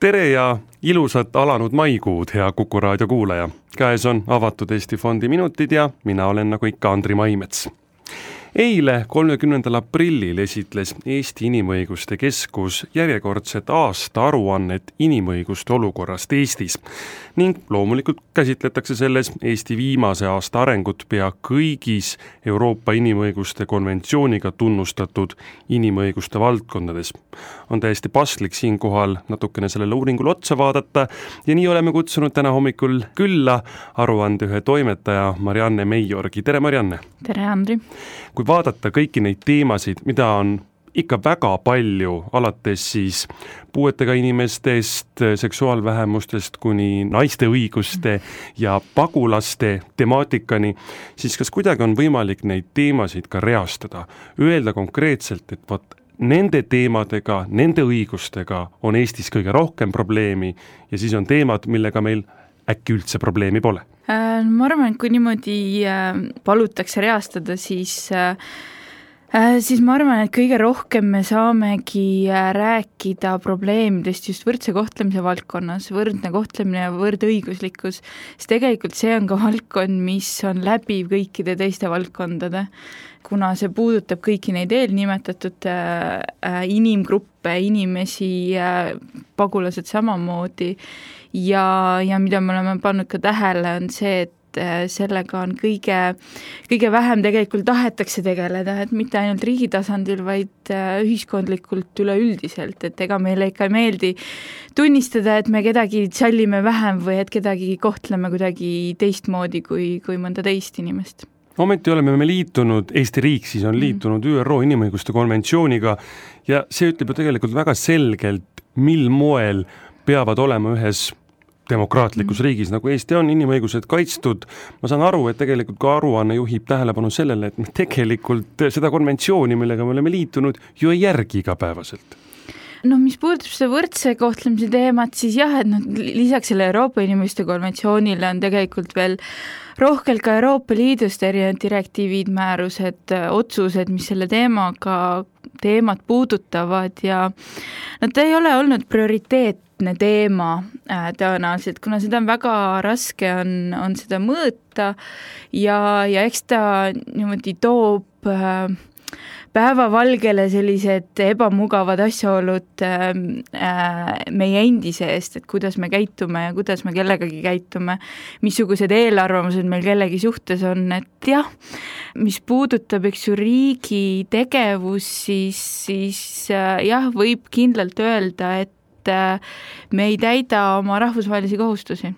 Tere ja ilusat alanud maikuud, hea Kuku raadio kuulaja. Käes on avatud Eesti Fondi minutid ja mina olen nagu ikka Andri Maimets. Eile 30. aprillil esitles Eesti Inimõiguste Keskus järjekordset aasta aruannet inimõiguste olukorrast Eestis ning loomulikult käsitletakse selles Eesti viimase aasta arengut pea kõigis Euroopa Inimõiguste konventsiooniga tunnustatud inimõiguste valdkondades. On täiesti paslik siinkohal natukene sellele uuringule otsa vaadata ja nii oleme kutsunud täna hommikul külla aruande ühe toimetaja Marianne Meiorgi. Tere Marianne! Tere Andri! Kui vaadata kõiki neid teemasid, mida on ikka väga palju, alates siis puuetega inimestest, seksuaalvähemustest kuni naiste õiguste ja pagulaste temaatikani, siis kas kuidagi on võimalik neid teemasid ka reastada? Öelda konkreetselt, et nende teemadega, nende õigustega on Eestis kõige rohkem probleemi ja siis on teemad, millega meil äkki üldse probleemi pole? Ma arvan, et kui niimoodi palutakse reastada, siis ma arvan, et kõige rohkem me saamegi rääkida probleemidest just võrdse kohtlemise valdkonnas, võrdne kohtlemine ja võrdõiguslikkus, sest tegelikult see on ka valdkond, mis on läbiv kõikide teiste valdkondade, kuna see puudutab kõiki neid eelnimetatud inimgruppe, inimesi, pagulased samamoodi ja mida me oleme pannud ka tähele, on see, et sellega on kõige vähem tegelikult tahetakse tegeleda, et mitte ainult riigi tasandil, vaid ühiskondlikult üleüldiselt, et ega meile ikka ei meeldi tunnistada, et me kedagi sallime vähem või et kedagi kohtleme kuidagi teistmoodi kui mõnda teist inimest. Ometi oleme me liitunud, Eesti riik siis on liitunud ÜRO inimõiguste konventsiooniga ja see ütleb ju tegelikult väga selgelt, mil moel peavad olema ühes demokraatlikus riigis, nagu Eesti on inimõigused kaitstud. Ma saan aru, et tegelikult ka aruanne juhib tähelepanu sellele, et me tegelikult seda konventsiooni, millega me oleme liitunud, ju ei järgi igapäevaselt. No mis puudutab seda võrdse kohtlemise teemat, siis jah, et lisaks selle Euroopa inimõiguste konventsioonile on tegelikult veel rohkelt ka Euroopa Liidust erinevad direktiivid, määrused, otsused, mis selle teemat puudutavad ja nad ei ole olnud prioriteetne teema tõenäoliselt, kuna seda on väga raske on seda mõõta ja eks ta niimoodi toob päevavalgele sellised ebamugavad asjaolud meie endi seest, et kuidas me käitume ja kuidas me kellegagi käitume, missugused eelarvamused meil kellegi suhtes on, et jah, mis puudutab riigi tegevus, siis jah, võib kindlalt öelda, et me ei täida oma rahvusvahelisi kohustusi.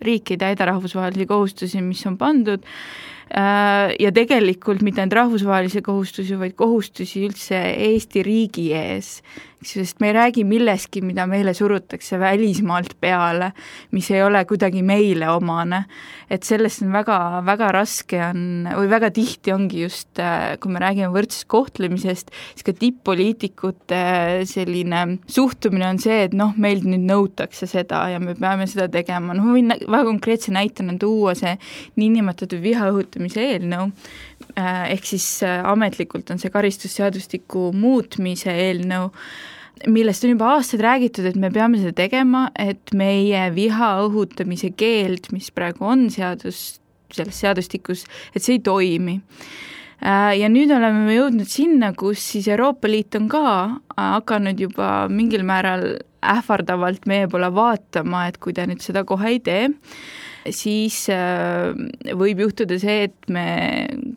Riik ei täida rahvusvahelisi kohustusi, mis on pandud ja tegelikult mitte ainult rahvusvahelisi kohustusi, vaid kohustusi üldse Eesti riigi ees, sest me ei räägi milleski, mida meile surutakse välismaalt peale, mis ei ole kuidagi meile omane, et sellest on väga, väga raske või väga tihti ongi just, kui me räägime võrdsest kohtlemisest, siis ka tipp-poliitikute selline suhtumine on see, et meilt nüüd nõutakse seda ja me peame seda tegema. Ma võin väga konkreetse näitena tuua see niinimetatud viha õhutamise eelnõu, ehk siis ametlikult on see karistusseadustiku muutmise eelnõu, millest on juba aastaid räägitud, et me peame seda tegema, et meie viha õhutamise keeld, mis praegu on selles seadustikus, et see ei toimi. Ja nüüd oleme jõudnud sinna, kus siis Euroopa Liit on ka hakanud juba mingil määral ähvardavalt meie poole vaatama, et kui ta nüüd seda kohe ei tee, siis võib juhtuda see, et me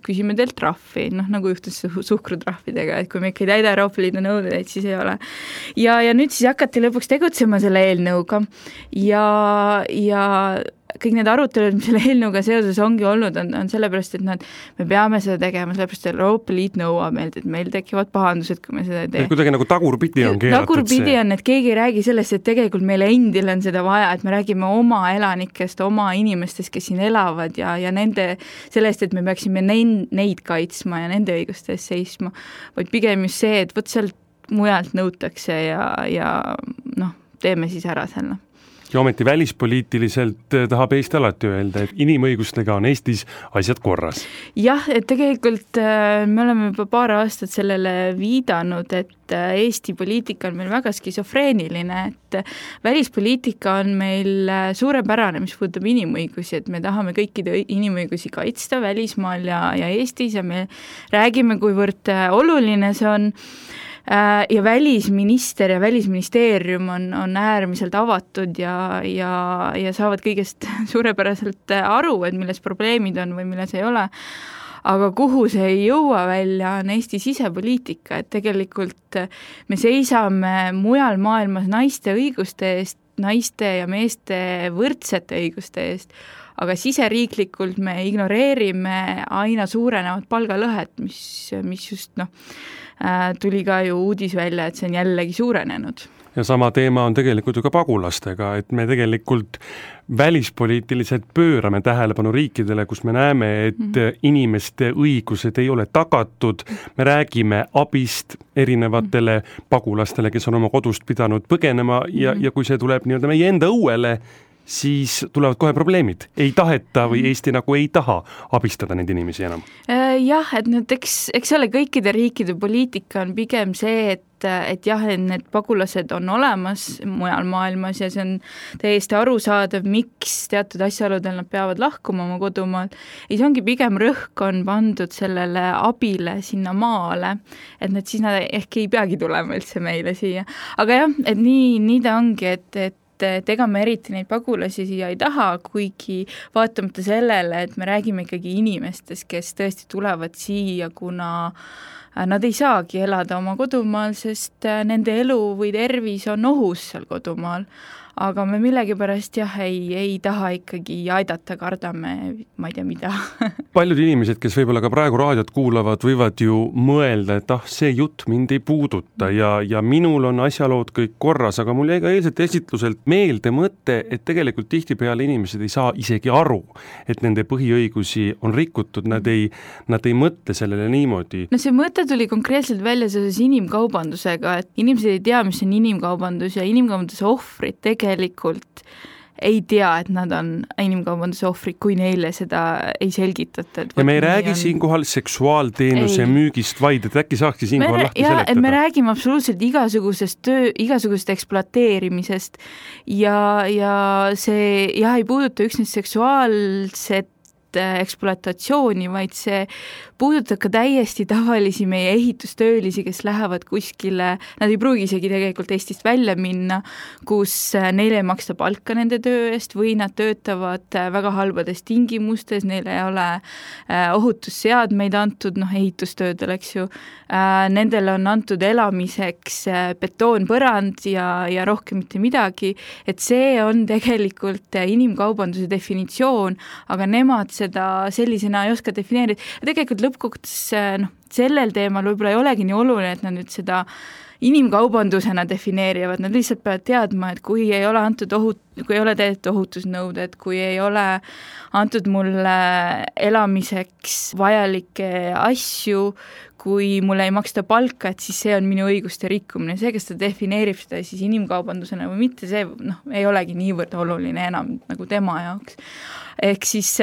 küsime teilt trahvi, nagu juhtus suhkrutrahvidega, et kui me ikka ei täida Euroopa Liidu nõudeid, siis ei ole. Ja nüüd siis hakati lõpuks tegutsema selle eelnõuga ja kõik need arutelud, mis selle eelnõuga seoses ongi olnud, on sellepärast, et me peame seda tegema, sellepärast, et Euroopa Liit nõuab meilt, et meil tekivad pahandused, kui me seda ei tee. Kuidagi nagu tagurpidi on keelatud tagurpidi on, et keegi ei räägi sellest, et tegelikult meile endile on seda vaja, et me räägime oma elanikest, oma inimestest, kes siin elavad ja nende sellest, et me peaksime neid kaitsma ja nende õiguste eest seisma, vaid pigem just see, et sealt mujalt nõutakse ja teeme siis ära selle. Ja ometi välispoliitiliselt tahab Eesti alati öelda, et inimõigustega on Eestis asjad korras. Jah, et tegelikult me oleme juba paar aastat sellele viidanud, et Eesti poliitika on meil väga skisofreeniline, et välispoliitika on meil suurepärane, mis puudutab inimõigusi, et me tahame kõikide inimõigusi kaitsta välismaal ja Eestis ja me räägime, kuivõrd oluline see on. Ja välisminister ja välisministeerium on äärmiselt avatud ja saavad kõigest suurepäraselt aru, et milles probleemid on või milles ei ole. Aga kuhu see ei jõua välja, on Eesti sisepoliitika, et tegelikult me seisame mujal maailmas naiste õiguste eest, naiste ja meeste võrdsete õiguste eest, aga siseriiklikult me ignoreerime aina suurenevat palgalõhet, mis just tuli ka ju uudis välja, et see on jällegi suurenenud. Ja sama teema on tegelikult ju ka pagulastega, et me tegelikult välispoliitiliselt pöörame tähelepanu riikidele, kus me näeme, et inimeste õigused ei ole tagatud, me räägime abist erinevatele pagulastele, kes on oma kodust pidanud põgenema ja kui see tuleb nii-öelda meie enda õuele, siis tulevad kohe probleemid. Ei taheta või Eesti nagu ei taha abistada neid inimesi enam. Jah, et nüüd eks ole kõikide riikide poliitika on pigem see, et jah, et need pagulased on olemas mujal maailmas ja see on täiesti arusaadav, miks teatud asjaoludel nad peavad lahkuma oma kodumaal. Ja see ongi pigem rõhk on pandud sellele abile sinna maale, et siis nad ehk ei peagi tulema üldse meile siia. Aga jah, et nii ta ongi, et ega me eriti neid pagulasi siia ei taha, kuigi vaatamata sellele, et me räägime ikkagi inimestest, kes tõesti tulevad siia, kuna nad ei saagi elada oma kodumaal, sest nende elu või tervis on ohus seal kodumaal. Aga me millegipärast ei taha ikkagi aidata, kardame, ma ei tea mida. Paljud inimesed, kes võib-olla ka praegu raadiot kuulavad, võivad ju mõelda, et see jutt mind ei puuduta ja minul on asjalood kõik korras, aga mul jäi ka eilselt esitluselt meelde mõte, et tegelikult tihtipeale inimesed ei saa isegi aru, et nende põhiõigusi on rikutud, nad ei mõtle sellele niimoodi. No see mõte tuli konkreetselt välja seoses inimkaubandusega, et inimesed ei tea, mis on inimkaubandus ja inimkaubanduse ohvrid tegelikult ei tea, et nad on inimkaubanduse ohvrid, kui neile seda ei selgitata. Ja me ei räägi siinkohal seksuaalteenuse müügist, vaid et äkki saakski siinkohal lahti seletada. Et me räägime absoluutselt igasugusest ekspluateerimisest ja see ei puuduta üksnes seksuaalset ekspluatatsiooni, vaid see puudutab ka täiesti tavalisi meie ehitustöölisi, kes lähevad kuskile, nad ei pruugi isegi tegelikult Eestist välja minna, kus neile ei maksta palka nende töö eest või nad töötavad väga halbades tingimustes, neile ei ole ohutusseadmeid antud, ehitustöödel, eks ju. Nendele on antud elamiseks betoonpõrand ja rohkem mitte midagi, et see on tegelikult inimkaubanduse definitsioon, aga nemad seda sellisena ei oska defineerida. Tegelikult lõppkokkuvõttes sellel teemal võib-olla ei olegi nii oluline, et nad nüüd seda inimkaubandusena defineerivad, nad lihtsalt peavad teadma, et kui ei ole antud kui ei ole tehtud ohutusnõuded, kui ei ole antud mulle elamiseks vajalikke asju, kui mulle ei maksta palka, et siis see on minu õiguste rikkumine. See, kes ta defineerib seda siis inimkaubandusena või mitte, see ei olegi niivõrd oluline enam nagu tema jaoks. Ehk siis,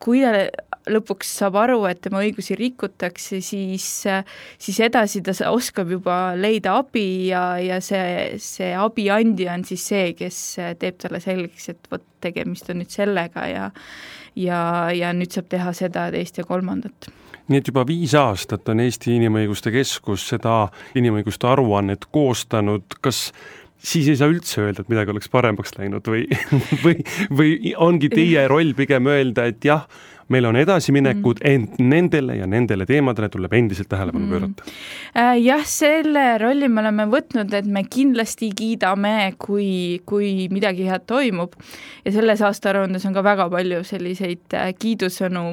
kui ta lõpuks saab aru, et tema õigusi rikutakse, siis edasi ta oskab juba leida abi ja see abiandja on siis see, kes teeb talle selgeks, et võt tegemist on nüüd sellega ja nüüd saab teha seda, teist ja kolmandat. Nii et juba 5 aastat on Eesti Inimõiguste Keskus seda inimõiguste aruannet koostanud. Kas siis ei saa üldse öelda, et midagi oleks paremaks läinud või ongi teie roll pigem öelda, et jah, meil on edasiminekud, ent nendele ja nendele teemadele tuleb endiselt tähelepanu pöörata. Jah, selle rolli me oleme võtnud, et me kindlasti kiidame, kui midagi head toimub. Ja selles aastaaruandes on ka väga palju selliseid kiidusõnu,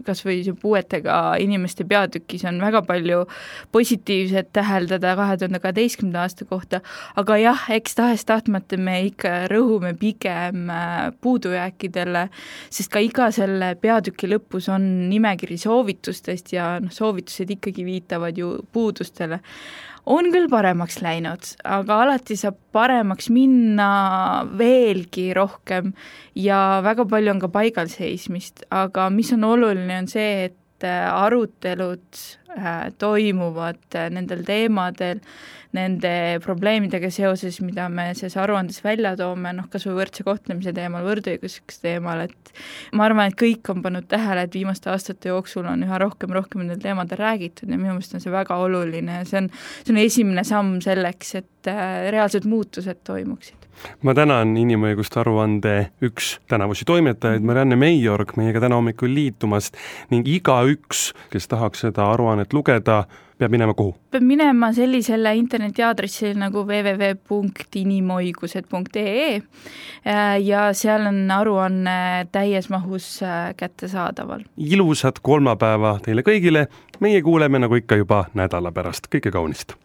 kas või puuetega inimeste peatükis on väga palju positiivset täheldada 2012. aasta kohta. Aga jah, eks tahes-tahtmata me ikka rõhume pigem puudujääkidele, sest ka iga selle peatüki lõpus on nimekiri soovitustest ja soovitused ikkagi viitavad ju puudustele. On küll paremaks läinud, aga alati saab paremaks minna veelgi rohkem ja väga palju on ka paigalseismist, aga mis on oluline, on see, et arutelud toimuvad nendel teemadel, nende probleemidega seoses, mida me selles aruandes välja toome, kas või võrdse kohtlemise teemal, võrdõiguslikkuse teemal, et ma arvan, et kõik on pannud tähele, et viimaste aastate jooksul on üha rohkem nendel teemadel räägitud ja minu meelest on see väga oluline ja see on esimene samm selleks, et reaalsed muutused toimuksid. Ma tänan inimõiguste aruande üks tänavusi toimetajaid, Marianne Meijorg, meiega täna hommikul liitumast ning igaüks, kes tahaks seda aruannet lugeda, peab minema kuhu? Peab minema sellisele internetiaadressil nagu www.inimoigused.ee ja seal on aruanne täies mahus kättesaadaval. Ilusat kolmapäeva teile kõigile, meie kuuleme nagu ikka juba nädala pärast, kõike kaunist!